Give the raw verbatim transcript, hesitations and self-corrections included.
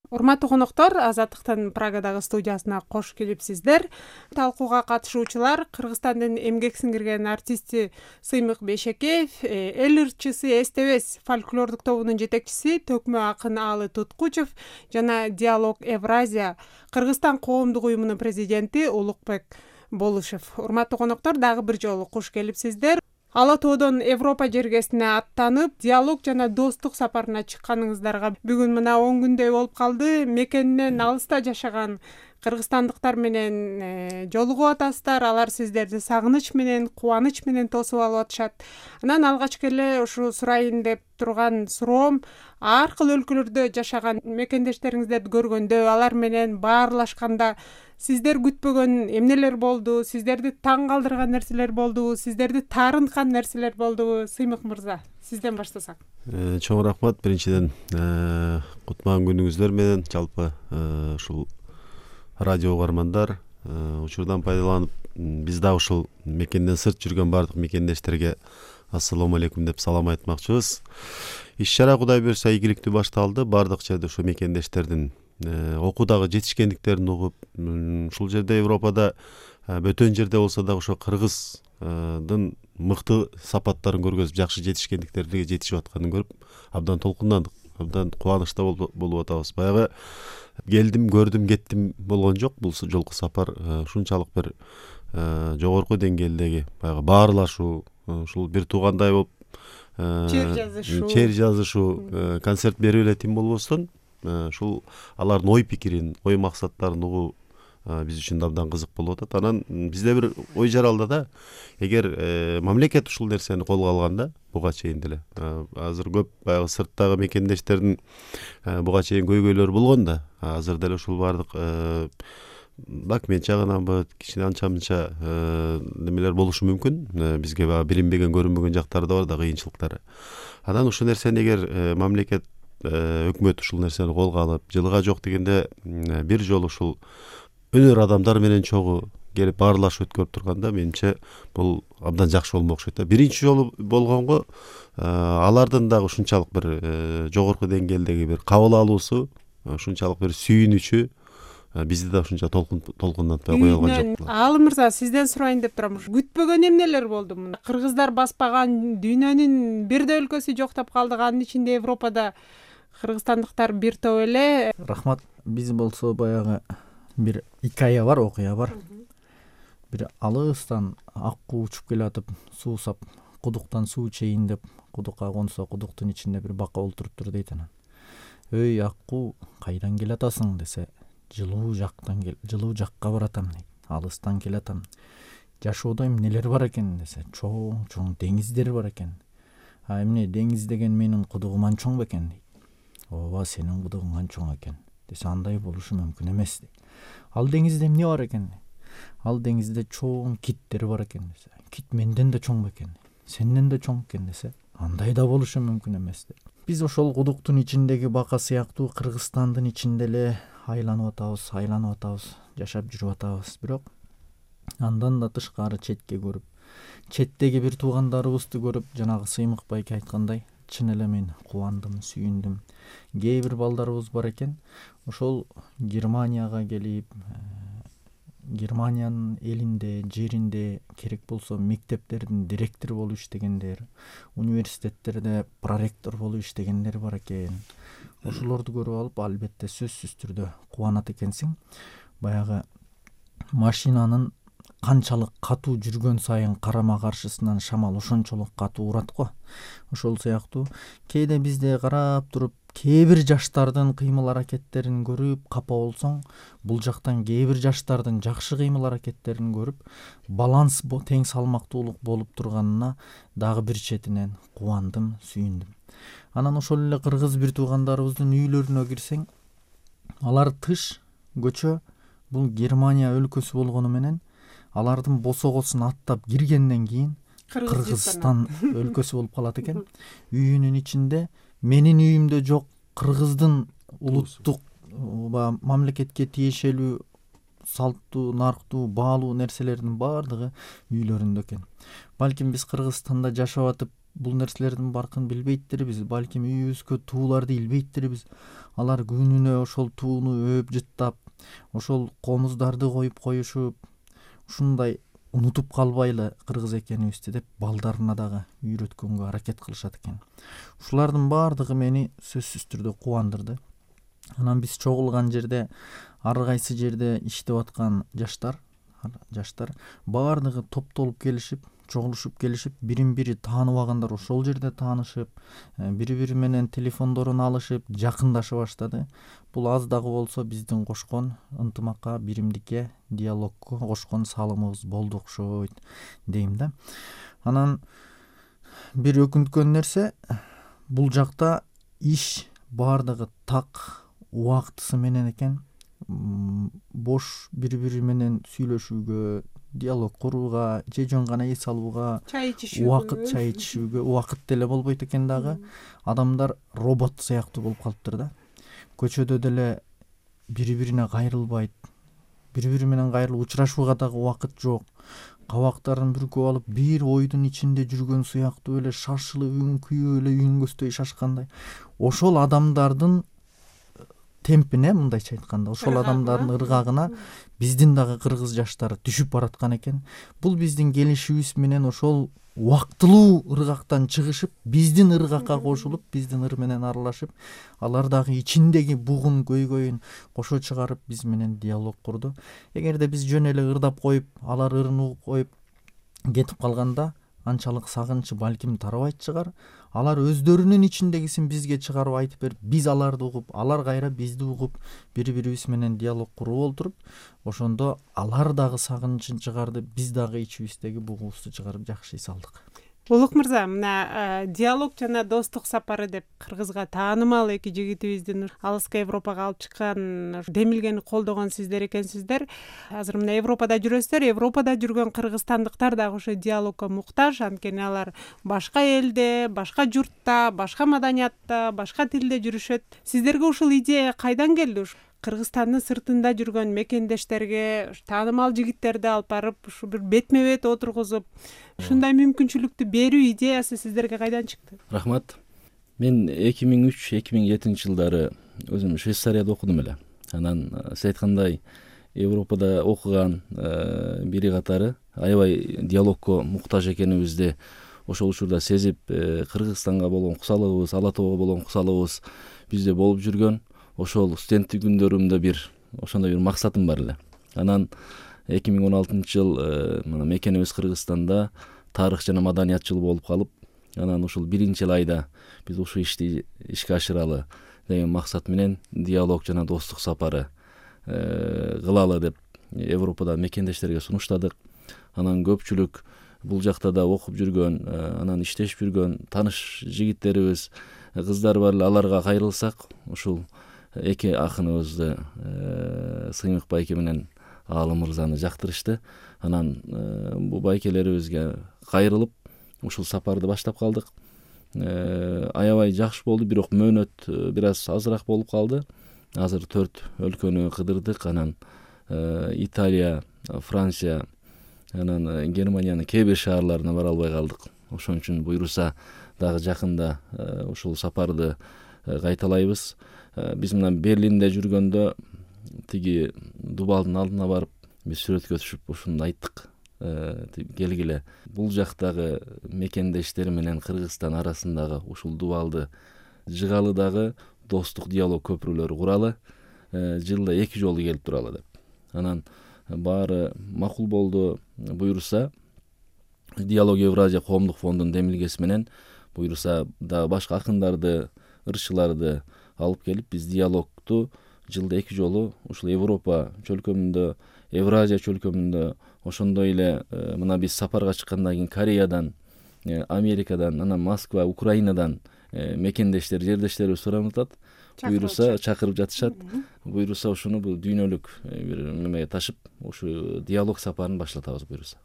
Урматтуу коноктор, Азаттыктын Прагадагы студиясына кош келипсиздер. Талкууга катышуучулар Кыргызстандын эмгек сиңирген артисти Сыймык Бейшекеев, эл ырчысы Эстебес фольклордук тобунун жетекчиси Төкмө акын Аалы Туткучев жана Диалог Евразия Кыргызстан коомдук уюмунун президенти Улукбек Болушев. Урматтуу коноктор, дагы бир жолу куш келипсиздер. Ала тоодон Европа жергесине аттанып, диалог жана достук сапарына чыкканыңыздарга бүгүн мына он күндөй болуп калды. Мекенинен алыста жашаган кыргызстандыктар менен жолугуп атасыздар. Алар сиздерди сагыныч менен, кубаныч менен тосуп алып атышат. Анан алгачкы эле ушу сурайын деп турган суроом, ар кыл өлкөлөрдө жашаган мекендештериңиздерди көргөндө, алар менен баарлашканда сиздер күтпөгөн эмнелер болду? Сиздерди таң калтырган нерселер болдубу? Сиздерди таарынткан нерселер болдубу? Сыймык мырза, сизден баштасак. Чоң рахмат. Биринчиден кутман күнүңүздөр менен жалпы ушул радио угармандар учурдан пайдаланып, биз да ушул мекенден сырт жүргөн бардык мекендештерге ассаламу алейкум деп салам айтмакчыбыз. Иш-чара Кудай буйрса ийгиликтүү башталды. Бардык жерде ушу мекендештердин окуудагы жетишкендиктерин угуп, ушул жерде Европада бөтөн жерде болсо да ошо Кыргыздын мыкты сапаттарын көргөзүп, жакшы жетишкендиктерге жетишип атканын көрүп, абдан толкундандык, абдан кубанычта болуп атабыз. Баягы келдим, көрдүм, кеттим болгон жок. Бул жолку сапар ушунчалык бир жогорку деңгээлдеги баягы баарлашуу, ушул бир туугандай болуп чер жазышуу, чер жазышуу, концерт берип эле тим болбостон, ушул алардын ой пикирин, ой максаттарын угуу биз үчүн абдан кызык болуп атат. Анан бизде бир ой жаралды да, эгер мамлекет ушул нерсени колго алганда, буга чейин деле азыр көп баягы сырттагы мекендештердин буга чейин көйгөйлөрү болгон да, азыр деле ушул бардык документ жагынанбы, кичине анча мынча немелер болушу мүмкүн. Бизге баягы билинбеген, көрүнбөгөн жактары да бар да, кыйынчылыктары. Анан ушул нерсени эгер мамлекет, өкмөт ушул нерсени колго алып, жылга жок дегенде бир жолу ушул өнөр адамдар менен чогуу келип баарлашып өткөрүп турганда, менимче бул абдан жакшы болмок окшойт. Биринчи жолу болгонго алардын дагы ушунчалык бир жогорку деңгээлдеги бир кабыл алуусу, ушунчалык бир сүйүнүчү бизди да ушунча толкундатпай кое алган жок. Аалы мырза, сизден сурайын деп турам. Күтпөгөн эмнелер болду? Кыргыздар баспаган дүйнөнүн бирде өлкөсү жоктоп калдык, анын ичинде Европада кыргызстандыктар бир топ эле. Рахмат. Биз болсо баягы бир икая бар, окуя бар. Бир алыстан аккуу учуп келатып, суу сап, кудуктан суу чейин деп, кудукка консо, кудуктун ичинде бир бака олтуруптур дейт анан. Өй аккуу, кайдан келатасың десе, жылуу жактан кел, жылуу жакка баратам дейт. Алыстан келатам. Жашоодо эмнелер бар экен десе, чоң-чоң деңиздер бар экен. А эмне деңиз деген менин кудугуман чоң бекен дейт. Ооба, сенин кудугуңан чоң экен десе, андай болушу мүмкүн эмес дейт. Ал деңизде эмне бар экен? Ал деңизде чоң киттер бар экен десе, кит менден да чоң бекен, сенден да чоң экен десе, андай да болушу мүмкүн эмес дейт. Биз ошол кудуктун ичиндеги бака сыяктуу Кыргызстандын ичинде эле айланып атабыз, айланып атабыз, жашап жүрүп атабыз. Бирок андан да тышкары четке көрүп, четтеги бир туугандарыбызды көрүп, жанагы Сыймык байке айткандай, чын эле мен кубандым, сүйүндүм. Кээ бир балдарыбыз бар экен, ошол Германияга келип, Германиянын элинде, жеринде керек болсо мектептердин директору болуп иштегендер, университеттерде проректор болуп иштегендер бар экен. Ошолорду көрүп алып, албетте сөзсүз түрдө кубанат экенсиң. Баягы машинанын канчалык катуу жүргөн сайын карама каршысынан шамал ошончолук катуу урат го. Ошол сыяктуу кээде бизде карап туруп, кээ бир жаштардын кыймыл аракеттерин көрүп капа болсоң, бул жактан кээ бир жаштардын жакшы кыймыл аракеттерин көрүп, баланс тең салмактуулук болуп турганына дагы бир четинен кубандым, сүйүндүм. Анан ошол эле кыргыз бир туугандарыбыздын үйлөрүнө кирсең, алар тыш, көчө, бул Германия өлкөсү болгону менен алардын босогосун аттап киргенден кийин Кыргызстан өлкөсү болуп калат экен. Үйүнүн ичинде менин үйүмдө жок кыргыздын улуттук мамлекетке тиешелүү салттуу, нарктуу, баалуу нерселердин баардыгы үйлөрүндө экен. Балким биз Кыргызстанда жашап атып бул нерселердин баркын билбейттирбиз, балким үйүбүзгө тууларды илбейттирбиз. Алар күнүнө ошол тууну өөп жыттап, ошол комуздарды коюп коюшуп, ушундай унутуп калбайлы кыргыз экенибизди деп балдарына дагы үйрөткөнгө аракет кылышат экен. Ушулардын баардыгы мени сөзсүз түрдө кубандырды. Анан биз чогулган жерде, ар кайсы жерде иштеп аткан жаштар, жаштар баардыгы топтолуп келишип, чогулушуп келишип, бирин бири тааныбагандар ошол жерде таанышып, бири бири менен телефондорун алышып, жакындаша баштады. Бул аз дагы болсо биздин кошкон ынтымакка, биримдикке, диалогко кошкон салымыбыз болду окшойт дейм да. Анан бир өкүнткөн нерсе, бул жакта иш баардыгы так убактысы менен экен. Бош бири-бири менен сүйлөшүүгө, диалог курууга, же жөн гана эс алууга, чай ичишүүгө, убакыт чай ичишүүгө убакыт деле болбойт экен дагы. Адамдар робот сыяктуу болуп калыптыр да. Көчөдө деле бири-бирине кайрылбайт. Бири-бири менен кайрылып учурашууга дагы убакыт жок. Кабактарын бүркөп алып, бир ойдун ичинде жүргөн сыяктуу эле шашылып, үн күйүп эле үнгөсдөй шашкандай. Ошол адамдардын темпине, мындайча айтканда, ошол адамдардын ыргагына биздин дагы кыргыз жаштары түшүп бараткан экен. Бул биздин келишибиз менен ошол убактылуу ыргактан чыгышып, биздин ыргакка кошулуп, биздин ыр менен аралашып, алар дагы ичиндеги бугун, көйгөйүн кошо чыгарып, биз менен диалог курду. Эгерде биз жөн эле ырдап коюп, алар ырын угуп коюп кетип калганда, анчалык сагынчы балким тарабайт чыгар. Алар өздөрүнүн ичиндегисин бизге чыгарып айтып берип, биз аларды угуп, алар кайра бизди угуп, бири-бирибиз менен диалог куруп олтуруп, ошондо алар дагы сагынычын чыгарды, биз дагы ичибиздеги бугубузду чыгарып жакшы эс алдык. Улук мырза, мына диалог жана достук сапары деп кыргызга таанымал эки жигитибиздин алыска Европага алып чыккан демилгени колдогон сиздер экенсиздер. Азыр мына Европада жүрөсүздөр, Европада жүргөн кыргызстандыктар дагы ошо диалогко муктаж, анткени алар башка элде, башка журтта, башка маданиятта, башка тилде жүрүшөт. Сиздерге ушул идея кайдан келди? Кыргызстандын сыртында жүргөн мекендештерге таанымал жигиттерди алып барып, ушу бир бетме-бет отургузуп, ушундай мүмкүнчүлүктү берүү идеясы сиздерге кайдан чыкты? Рахмат. Мен эки миң үч эки миң жетинчи жылдары өзүм Швейцарияда окудум эле. Анан сиз айткандай Европада окуган бири катары аябай диалогко муктаж экенибизди ошол учурда сезип, Кыргызстанга болгон кусалыгыбыз, Ала Тоого болгон кусалыгыбыз бизде болуп жүргөн. Ошол студенттик күндөрүмдө бир ошондой бир максатым бар эле. Анан эки миң он алтынчы жыл мына мекенибиз Кыргызстанда тарых жана маданият жылы болуп калып, анан ушул биринчи айда биз ушул ишти ишке ашыралы деген максат менен диалог жана достук сапары кылалы деп Европада мекендештерге сунуштадык. Анан көпчүлүк бул жакта да окуп жүргөн, анан иштешип жүргөн тааныш жигиттерибиз, кыздар бар эле, аларга кайрылсак, ушул эки акыныбызды Сыймык байке менен Аалым мырзаны жактырышты. Анан бул байкелерибизге кайрылып, ушул сапарды баштап калдык. Аябай жакшы болду, бирок мөөнөт бир аз азыраак болуп калды. Азыр төрт өлкөнү кыдырдык, анан Италия, Франция, анан Германиянын кээ бир шаарларына бара албай калдык. Ошон үчүн буйруса дагы жакында ушул сапарды кайталайбыз. Биз мына Берлинде жүргөндө тиги дубалдын алдына барып, биз сүрөткө түшүп ушуну айттык. Келгиле, бул жактагы мекендештер менен Кыргызстан арасындагы ушул дубалды жыгалы дагы достук диалог көпүрөлөрү куралы, жылда эки жолу келип туралы деп. Анан баары макул болду. Буйруса Диалог Евразия коомдук фондунун демилгеси менен буйруса дагы башка акындарды, ырчыларды алып келип, биз диалогту жылда эки жолу ушул Европа чөлкөмүндө, Евразия чөлкөмүндө, ошондой эле мына биз сапарга чыккандан кийин Кореядан, Америкадан, анан Москва, Украинадан мекендештер, жердештерибиз суранып атат. Буйруса чакырып жатышат. Буйруса ушуну бул дүйнөлүк бир немеге ташып, ушу диалог сапарын баштатабыз буйруса.